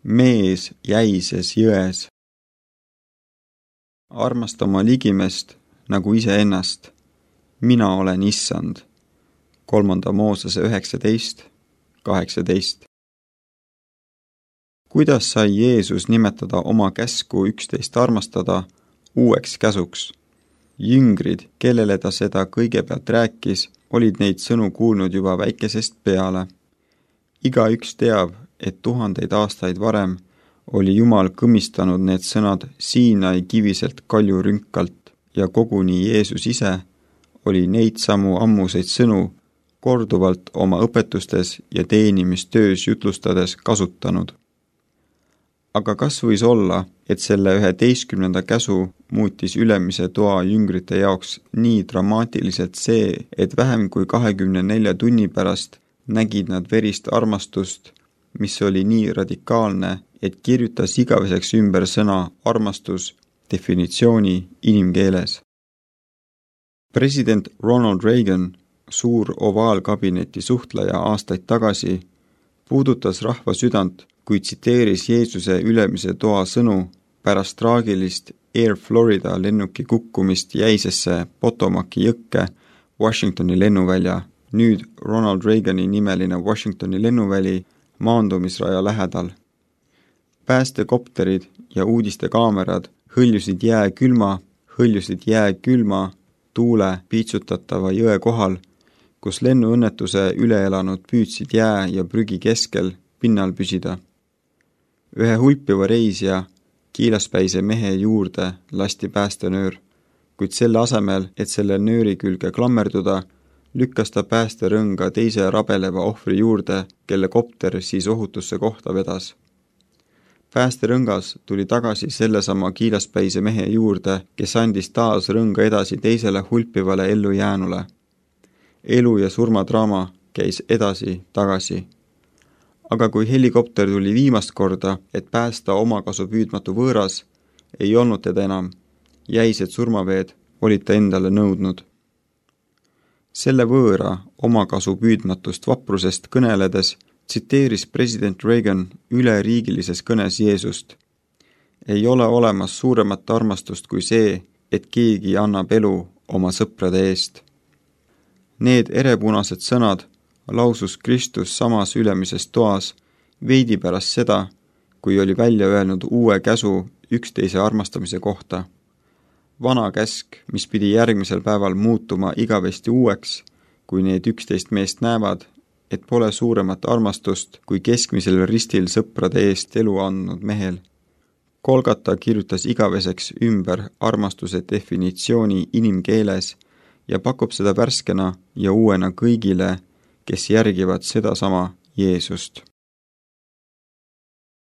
mees jäises jões. Armasta oma ligimest nagu iseennast. Mina olen Issand. 3. Moosese 19:18. Kuidas sai Jeesus nimetada oma käsku 11 armastada uueks käsuks? Jüngrid, kellele ta seda kõigepealt rääkis, olid neid sõnu kuulnud juba väikesest peale. Igaüks teab, et 1000 aastaid varem oli Jumal kõmmistanud need sõnad Siinai kiviselt kaljurünkalt ja koguni Jeesus ise oli neid samu ammuseid sõnu korduvalt oma õpetustes ja teenimistöös jutlustades kasutanud. Aga kas võis olla, et selle 11. käsu muutis ülemise toa jüngrite jaoks nii dramaatiliselt see, et vähem kui 24 tunni pärast nägid nad verist armastust, mis oli nii radikaalne, et kirjutas igaveseks ümber sõna armastus definitsiooni inimkeeles. President Ronald Reagan, suur ovaalkabineti suhtleja aastaid tagasi, puudutas rahva südant, kui tsiteeris Jeesuse ülemise toa sõnu pärast traagilist Air Florida lennuki kukkumist jäisesse Potomaci jõkke Washingtoni lennuvälja, nüüd Ronald Reagani nimeline Washingtoni lennuväli maandumisraja lähedal. Päästekopterid ja uudistekaamerad hõljusid jääkülma tuule piitsutatava jõe kohal, kus lennuõnnetuse üle elanud püüdsid jää ja prügi keskel pinnal püsida. Ühe hulpiva reisija kiilaspäise mehe juurde lasti päästenöör, kuid selle asemel, et selle nööri külge klammerduda, lükkas ta päästerõnga teise rabeleva ohvri juurde, kelle kopter siis ohutusse kohta vedas. Päästerõngas tuli tagasi sellesama kiilaspäise mehe juurde, kes andis taas rõnga edasi teisele hulpivale ellujäänule. Elu- ja surmadraama käis edasi-tagasi. Aga kui helikopter tuli viimast korda, et päästa omakasu püüdmatu võõras, ei olnud teda enam. Jäised surmaveed olid ta endale nõudnud. Selle võõra omakasu püüdmatust vaprusest kõneledes tsiteeris president Reagan üleriigilises kõnes Jeesust. Ei ole olemas suuremat armastust kui see, et keegi annab elu oma sõprade eest. Need erepunased sõnad lausus Kristus samas ülemises toas veidi pärast seda, kui oli välja öelnud uue käsu üksteise armastamise kohta. Vana käsk, mis pidi järgmisel päeval muutuma igavesti uueks, kui need 11 meest näevad, et pole suuremat armastust kui keskmisel ristil sõprade eest elu andnud mehel. Golgata kirjutas igaveseks ümber armastuse definitsiooni inimkeeles ja pakub seda värskena ja uuena kõigile, kes järgivad sedasama Jeesust.